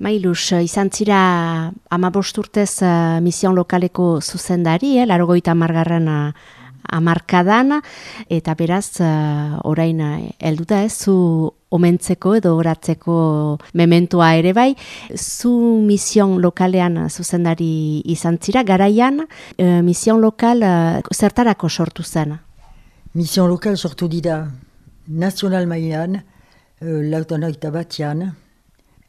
Mailuz, izan zira 15 urtez mision lokaleko zuzendari, 80. Hamarkadan, eta beraz, orain helduta zu omentzeko edo oratzeko mementoa ere bai, zu mision lokalean zuzendari izan zira, garaian, mision lokal zertarako sortu zen? Mision lokal sortu dira nazional mailan, lautanoita batean,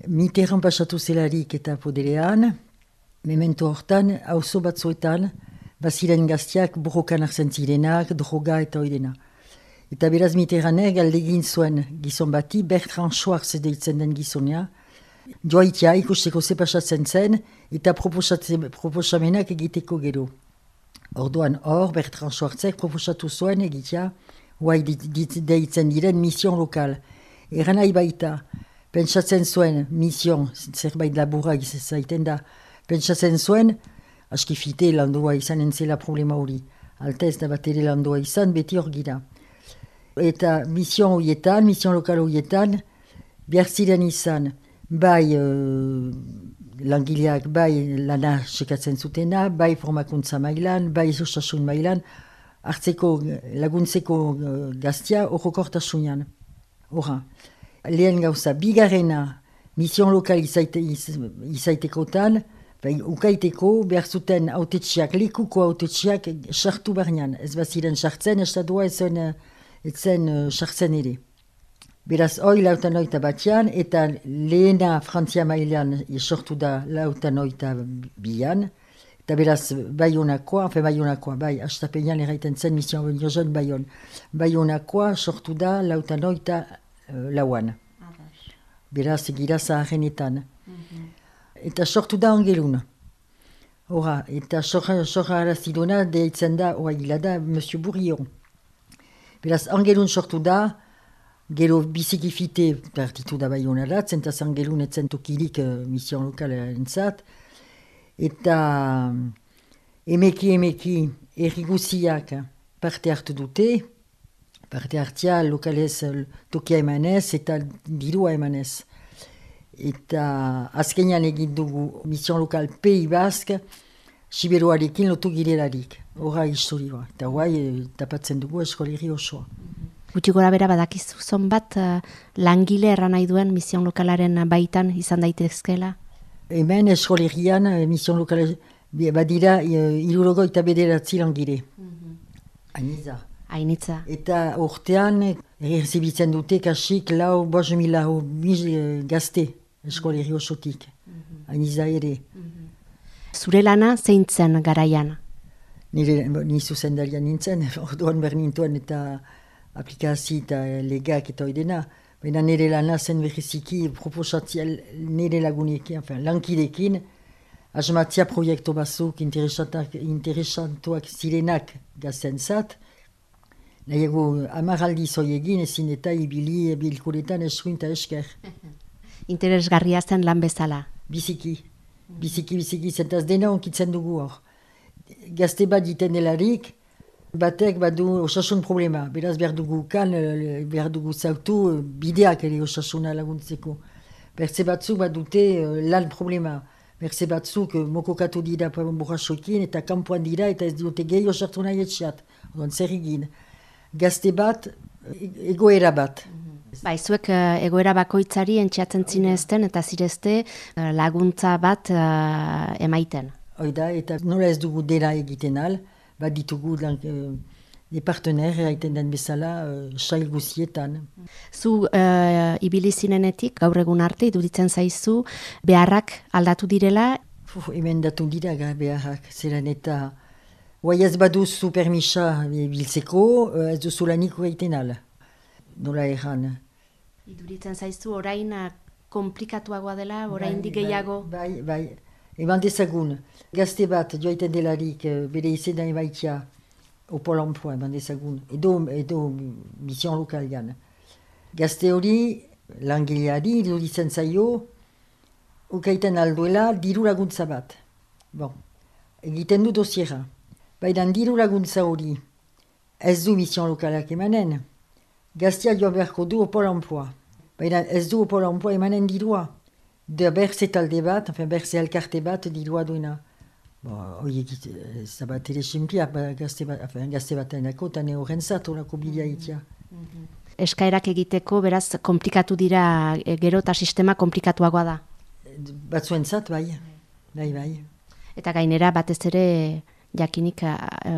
Mitterrand pasatu zelarik eta poderean, memento hortan, auzo batzuetan, baziren gaztiak borrokan hartzen zirenak, droga eta oidena. Eta beraz Mitterrandek galdegin zuen gizon bati, Bertrand Schwartz deitzen den gizonea, joaitia ikusteko ze pasatzen zen, eta proposamenak egiteko gero. Orduan hor, Bertrand Schwartzek proposatu zuen egitea, guai deitzen diren mision lokal. Eran nahi baita, pentsatzen zuen mision, zerbait laburra zaiten da, pentsatzen zuen, aski fite landua izan entzela problema hori. Alta ez da bat ere landua izan, beti hor gira. Eta mision lokal horietan, behar ziren izan, bai langileak, bai lana sekatzen zutena, bai formakuntza mailan, bai osasun mailan, hartzeko laguntzeko gaztia horrokortasunean. Horra. Lehen gauza, bigarrena, mision lokal izaitekotan, ukaiteko behar zuten autetxiak, likuko autetxiak sartu barnean. Ez baziren sartzen, estatua etzen sartzen ere. Beraz, hoi 82 eta lehena Frantzia mailan sortu da 82an, eta beraz, Baionakoa, bai, astapenean erraiten zen mision jozen Baion. Baionakoa sortu da 82an. Beraz, gira zaharrenetan. Eta sortu da Angelun. Hora, eta sorra arazidona deitzen da, hila da, Monsieur Bourillon. Beraz, Angelun sortu da, gero biziki fite partitu da Baionarat, zentaz Angelun etzen tokirik mision lokal entzat, eta emeki erriguziak parte hartu dute, parte hartia lokalez tokia emanez eta dirua emanez. Eta azkenean egin dugu mision lokal Pays Basque, Siberuarekin lotu girelarik. Horra historioa. Eta guai tapatzen dugu eskoleri osoa. Gutxi gora bera badakizu zonbat langile erran nahi duen mision lokalaren baitan izan daitezkela? Hemen eskolerian mision lokal badira 79 langile. Hainitza. Eta urtean errezibitzen dute kasik 5.000 gazte eskoleri osotik. Hainitza ere. Zure lana zein zen garaian? Ni zuzendarian nintzen, orduan bernintuen eta aplikazio eta legak eta oidena. Baina nire lana zen berriziki proposatzea nire lagunekin, lankidekin, asmatzea proiektu batzuk interesantuak zirenak gaztentzat. Nahiago amaraldi zoiegin ezin eta ibili bilkuretan eskuin eta esker. Interesgarria zen lan bezala? Biziki, zentaz dena onkitzen dugu hor. Gazte bat diten delarik, batek badu osasun problema. Beraz behar dugu zautu bideak ere osasuna laguntzeko. Berze batzuk bat dute lan problema. Berze batzuk mokokatu dira borrasoekin eta kanpoan dira eta ez dute gehi osartu nahi etxeat. Odan zer egin. Gazte bat, egoera bat. Zuek egoera bakoitzari entxeatzen zinezten eta zirezte laguntza bat emaiten. Oida, eta nola ez dugu dela egiten al, bat ditugu partener egiten den bezala sail guzietan. Zu ibili zinenetik, gaur egun arte, iduritzen zaizu, beharrak aldatu direla? Hemen datu dira beharrak, zeran eta guai ez baduzu permisa biltzeko, ez duzu laniko egiten al. Nola erran. Iduritzen zaizu orain komplikatuagoa dela, orain gehiago? Bai. Eman dezagun, gazte bat joaiten delarik bere izena emaitia Pol Emploi, eman dezagun, edo mision lokalian. Gazte hori, langileari, iduritzen zaio, ukaiten alduela diru laguntza bat. Egiten du dosiera. Baina diru laguntza hori ez du mision lokalak emanen. Gaztea joan beharko du Pol Emploi. Baina ez du Pol Emploi emanen dirua. berze talde bat, berze elkarte bat dirua duena. Horiek zabat ere simplia, gazte batenako, eta ne horren zat, horako bidea itia. Eskaerak egiteko, beraz, komplikatu dira, gero eta sistema komplikatuagoa da. Batzuen zat, bai. Eta gainera, batez ere, jakinik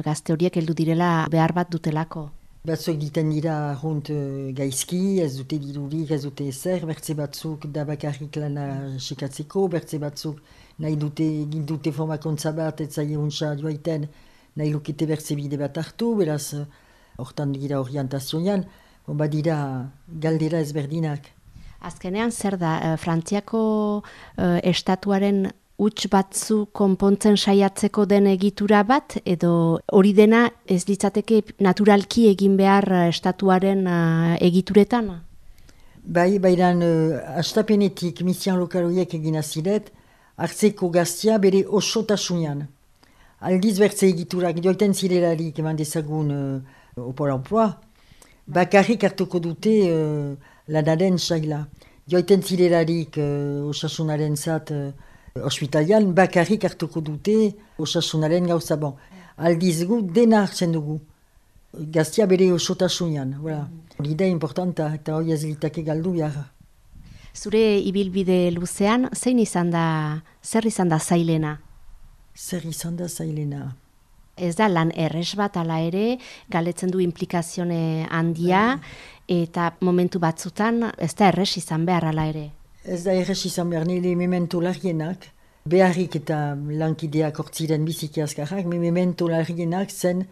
gazte horiek heldu direla behar bat dutelako. Batzuk diten dira arrunt gaizki, ez dute dirurik, ez dute ezer, bertze batzuk da bakarrik lana sekatzeko, bertze batzuk nahi dute formakuntza bat, ez zaie untsa joaiten, nahi lukete bertze bide bat hartu, beraz, hortan dira orientazioan, badira galdera ezberdinak. Azkenean, zer da, Frantziako estatuaren huts batzu konpontzen saiatzeko den egitura bat, edo hori dena ez litzateke naturalki egin behar estatuaren egituretan? Bai, bairan astapenetik misian lokal horiek egin aziret, hartzeko gaztia bere osotasunean. Aldiz bertze egiturak joiten zirelarik eman dezagun Pol Emploi, bakarrik hartuko dute lanaren saila. Joiten zirelarik osasunaren zat ospitalian, bakarrik hartuko dute osasunaren gauza bon. Aldiz gu dena hartzen dugu. Gaztia bere osotasunean. Hori da importanta eta hori ez litake galdu behar. Zure ibilbide luzean, zer izan da zailena? Zer izan da zailena? Ez da lan erres bat ala ere, galetzen du implikazione handia, eta momentu batzutan ez da erres izan behar ala ere. Ez da erres izan behar, nire memento larrienak, beharrik eta lankideak hortziren biziki azkarrak, memento larrienak zen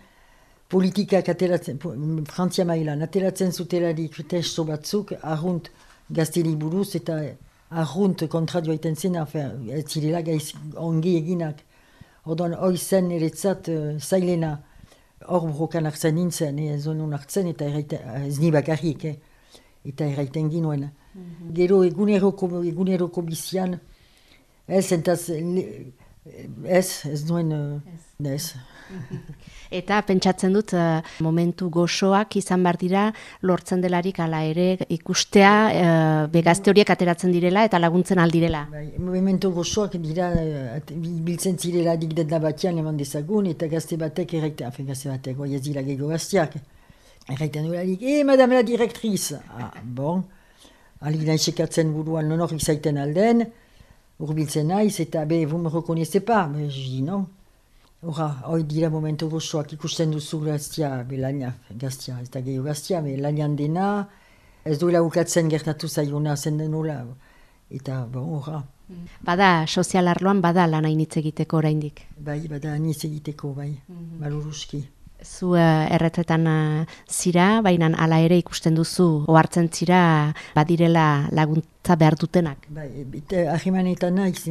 politikak ateratzen, Frantzia mailan, ateratzen zutelarik testo batzuk, arrunt gazteli buruz eta arrunt kontra joaiten zen, ez zirela ongi eginak. Orduan, hoi zen eretzat zailena, hor burrokan hartzen nintzen, ez honon hartzen eta ez ni bakarrik, eta erraiten ginoen. Gero eguneroko bizian, ez nuen, ez. Eta pentsatzen dut momentu gozoak izan behar dira lortzen delarik ala ere ikustea begazte horiek ateratzen direla eta laguntzen aldirela. Momentu gozoak dira biltzen zirela dikdetna batian eman dezagun eta gazte batek erraiten, gazte batek, ez dira gehiago gazteak. Erraiten dolarik, madame la directrice. Bon, alik nahi sekatzen buruan non hori zaiten alden, urbiltzen naiz eta vous me reconnaissez pas, mais je dis non. Hoi dira momentu gozoak ikusten duzu gaztia, gaztia, ez da gehiago gaztia, lanian dena, ez duela ukatzen gertatu zaiona zen denola, eta horra. Bada, sozial arloan bada lan hainitz egiteko oraindik. Bai, bada hainitz egiteko, bai, maluruski. Zu erretretan zira, baina hala ere ikusten duzu, ohartzen zira badirela laguntza behar dutenak. Bai, ahimanetan naiz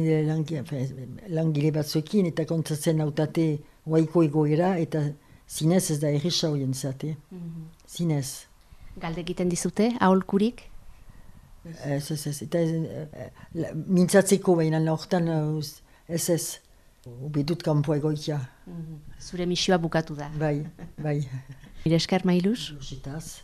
langile batzuekin eta kontzatzen hautate waiko egoera eta zinez ez da erresa horien zate. Zinez. Galde egiten dizute, aholkurik? Ez, eta mintzatzeko baina hortan ez. Ubedut kanpoa egoitia. Zure misioa bukatu da. Bai. Mire esker, Mailuz? Zitaz.